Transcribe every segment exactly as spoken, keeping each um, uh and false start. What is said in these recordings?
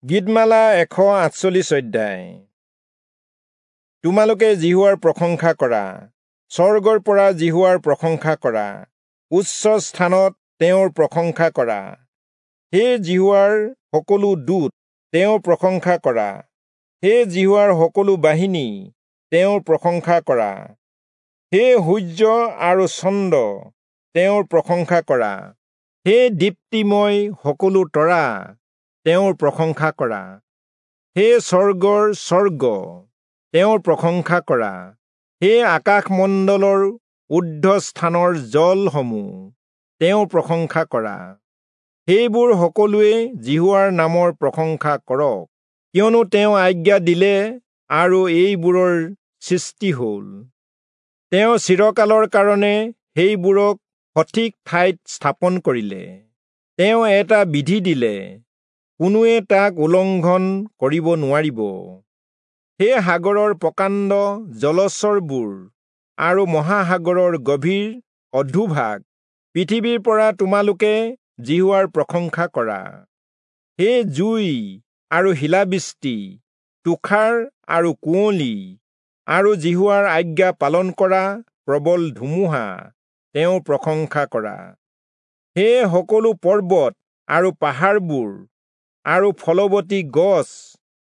গীতমালা এশ আঠচল্লিশ অধ্যায়। তোমালোকে যিহোৱাৰ প্ৰশংসা কৰা, স্বৰ্গৰ পৰা যিহোৱাৰ প্ৰশংসা কৰা, উচ্চ স্থানত তেওঁৰ প্ৰশংসা কৰা। হে যিহোৱাৰ সকলো দূত, তেওঁৰ প্ৰশংসা কৰা। হে যিহোৱাৰ সকলো বাহিনী, তেওঁৰ প্ৰশংসা কৰা। হে সূৰ্য আৰু চন্দ্ৰ, তেওঁৰ প্ৰশংসা কৰা। হে দীপ্তিময় সকলো তৰা, তেওঁৰ প্ৰশংসা কৰা। হে স্বৰ্গৰ স্বৰ্গ, তেওঁৰ প্ৰশংসা কৰা। হে আকাশমণ্ডলৰ ঊৰ্ধ্বস্থানৰ জলসমূহ, তেওঁৰ প্ৰশংসা কৰা। সেইবোৰ সকলোৱে যিহোৱাৰ নামৰ প্ৰশংসা কৰক, কিয়নো তেওঁ আজ্ঞা দিলে আৰু এইবোৰৰ সৃষ্টি হ'ল। তেওঁ চিৰকালৰ কাৰণে সেইবোৰক সঠিক ঠাইত স্থাপন কৰিলে। তেওঁ এটা বিধি দিলে, কোনোৱে তাক উলংঘন কৰিব নোৱাৰিব। হে সাগৰৰ প্ৰকাণ্ড জলচৰবোৰ আৰু মহাসাগৰৰ গভীৰ অধোভাগ, পৃথিৱীৰ পৰা তোমালোকে যিহোৱাৰ প্ৰশংসা কৰা। হে জুই আৰু শিলাবৃষ্টি, তুষাৰ আৰু কুঁৱলী, আৰু যিহোৱাৰ আজ্ঞা পালন কৰা প্ৰবল ধুমুহা, তেওঁৰ প্ৰশংসা কৰা। হে সকলো পৰ্বত আৰু পাহাৰবোৰ, আৰু ফলৱতী গছ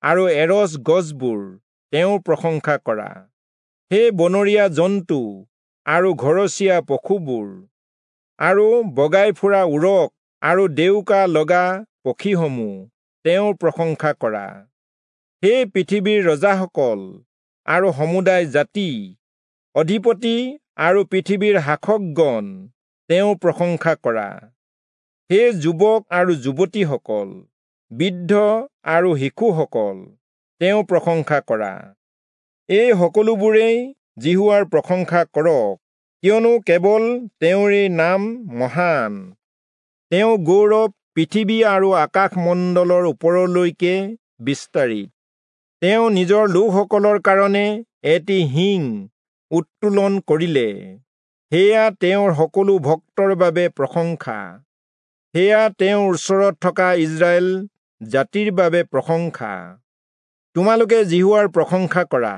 আৰু এৰচ গছবোৰ, তেওঁৰ প্ৰশংসা কৰা। হে বনৰীয়া জন্তু আৰু ঘৰচীয়া পশুবোৰ, আৰু বগাই ফুৰা উৰক আৰু ডেউকা লগা পক্ষীসমূহ, তেওঁৰ প্ৰশংসা কৰা। হে পৃথিৱীৰ ৰজাসকল আৰু সমুদায় জাতি, অধিপতি আৰু পৃথিৱীৰ শাসকগণ, তেওঁৰ প্ৰশংসা কৰা। হে যুৱক আৰু যুৱতীসকল, বৃদ্ধ আৰু শিশুসকল, তেওঁৰ প্ৰশংসা কৰা। এই সকলোবোৰেই যিহোৱাৰ প্ৰশংসা কৰক, কিয়নো কেৱল তেওঁৰেই নাম মহান। তেওঁ গৌৰৱ পৃথিৱী আৰু আকাশমণ্ডলৰ ওপৰলৈকে বিস্তাৰিত। তেওঁ নিজৰ লোকসকলৰ কাৰণে এটি শিং উত্তোলন কৰিলে, সেয়া তেওঁৰ সকলো ভক্তৰ বাবে প্ৰশংসা। সেয়া তেওঁৰ ওচৰত থকা ইস্ৰায়েল জাতিৰ বাবে প্ৰশংসা। তোমালোকে যিহোৱাৰ প্ৰশংসা কৰা।